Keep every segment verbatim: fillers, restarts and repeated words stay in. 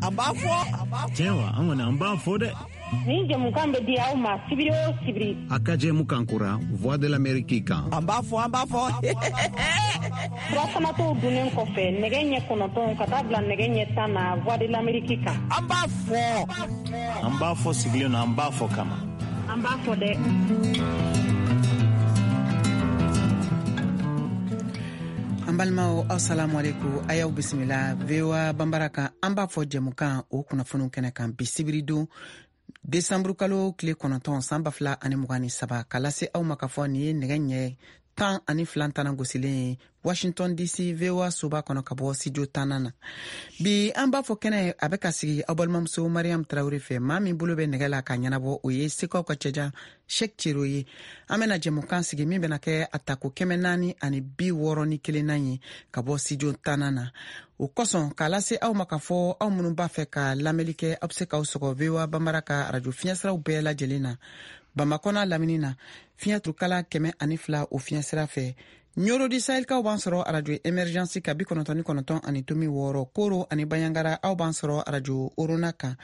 An b'a fɔ. Tiɲɛ wa, an kɔni an b'a fɔ dɛ. Nin jɛmukan bɛ di aw ma sibiri o sibiri. A ka jɛmukan kura Voix de l'Amérique kan. An b'a fɔ, an b'a fɔ. Furafanatɔw dunnen kɔfɛ nɛgɛ ɲɛ kɔnɔntɔn ka taa bila nɛgɛ ɲɛ tan na Voix de l'Amérique kan. An b'a fɔ. An b'a fɔ sigilen don, an b'a fɔ kama. An b'a fɔ dɛ. An balimaw, assalamu alaikum, a y'aw bisimila V O A Banbara kan. An b'a fɔ jɛmukan o kunnafoniw kɛnɛ kan bi sibiridon desanburu kalo tile kɔnɔntɔn san ba fila ani mugan ni saba, ka lase aw ma k'a fɔ nin ye nɛgɛ ɲɛ tan ani fila tana gosilen ye Washington D C V O A soba kɔnɔ ka bɔ studio tannan na. Bi an b'a fɔ kɛnɛ a bɛ ka sigi aw balimamuso Mariam Traoré fɛ. Maa min bolo bɛ nɛgɛ la ka ɲɛnabɔ, o ye Sekaw ka cɛjan Cheick Cero ye. An bɛna jɛmukan sigi min bɛna kɛ a tako kɛmɛ naani ani bi wɔɔrɔ ni kelennan ye ka bɔ studio tannan na. O kosɔn k'a lase aw ma k'a fɔ aw minnu b'a fɛ ka lamɛnli kɛ, aw bɛ se k'aw sɔgɔ V O A Banbara ka arajo fiɲɛsiraw bɛɛ lajɛlen na. Bamakɔ n'a lamini na, fiɲɛ turukala kɛmɛ ani fila o fiɲɛsira fɛ. Ɲoro di Sahel-kaw b'an sɔrɔ arajo Emergence ka bi kɔnɔntɔn ni kɔnɔntɔn ani tomi wɔɔrɔ. Koro ani Banyangara aw b'an sɔrɔ arajo Orona kan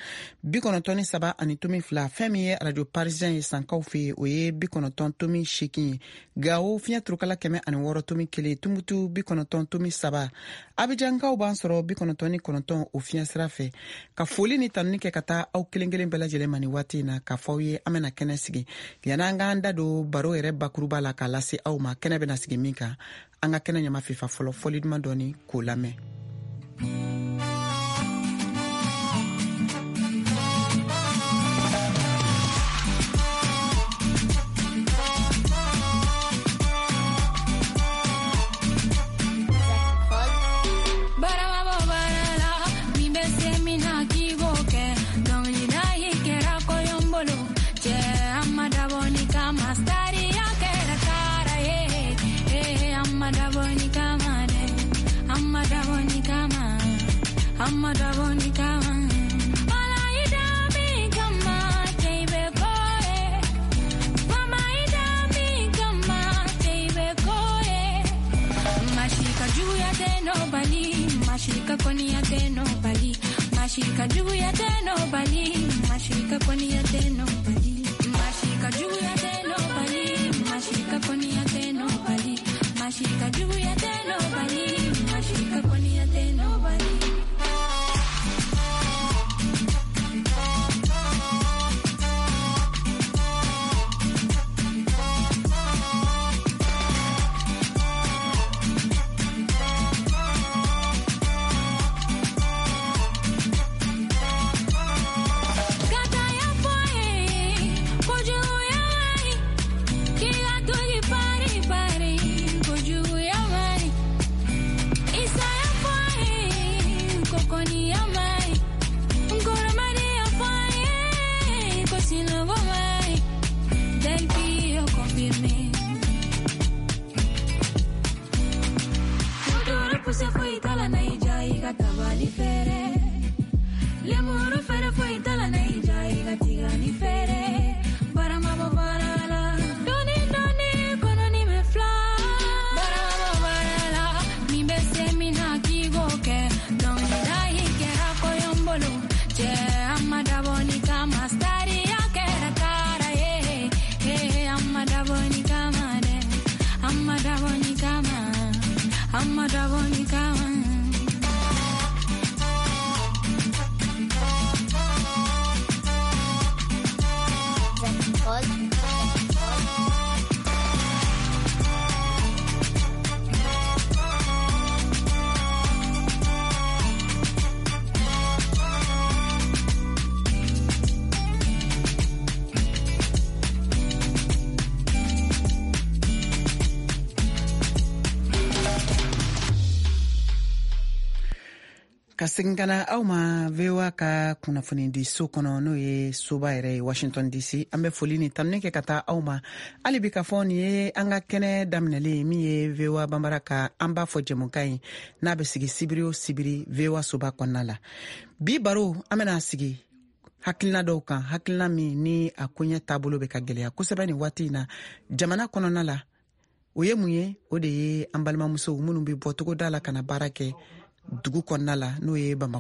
bi kɔnɔntɔn ni saba ani tomi fila. Fɛn min ye arajo Parisien ye Sankaw fɛ yen, o ye bi kɔnɔntɔn tomi seegin ye. Gawo fiɲɛ turukala kɛmɛ ani wɔɔrɔ tomi kelen. Tumutu bi kɔnɔntɔn tomi saba. Abijankaw b'an sɔrɔ bi kɔnɔntɔn ni kɔnɔntɔn o fiɲɛ sira fɛ. Ka foli ni tanuni kɛ ka taa aw kelen kelen bɛɛ lajɛlen ma nin waati in na, k'a fɔ aw ye an bɛna kɛnɛ sigi. Yan'an k'an da don baro yɛrɛ bakuruba la k'a lase aw ma, kɛnɛ bɛna sigi min kan, an ka kɛnɛ ɲama fifa fɔlɔ fɔli duman dɔɔni k'o lamɛn. Ka segin ka na aw ma V O A ka kunnafoni di so kɔnɔ, n'o ye soba yɛrɛ ye Washington D C. An bɛ foli ni tanuni kɛ ka taa aw ma hali bi k'a fɔ nin ye an ka kɛnɛ daminɛlen ye min ye V O A Banbara ka an b'a fɔ jɛmukan ye, n'a bɛ sigi sibiri o sibiri V O A soba kɔnɔna la. Bi baro an bɛna sigi hakilina dɔw kan, hakilina min ni a koɲɛ taabolo bɛ ka gɛlɛya kosɛbɛ nin waati in na jamana kɔnɔna la. O ye mun ye? O de ye an balimamusow minnu bɛ bɔ togoda la ka na baara kɛ dugu kɔnɔna la, n'o ye Bamakɔ.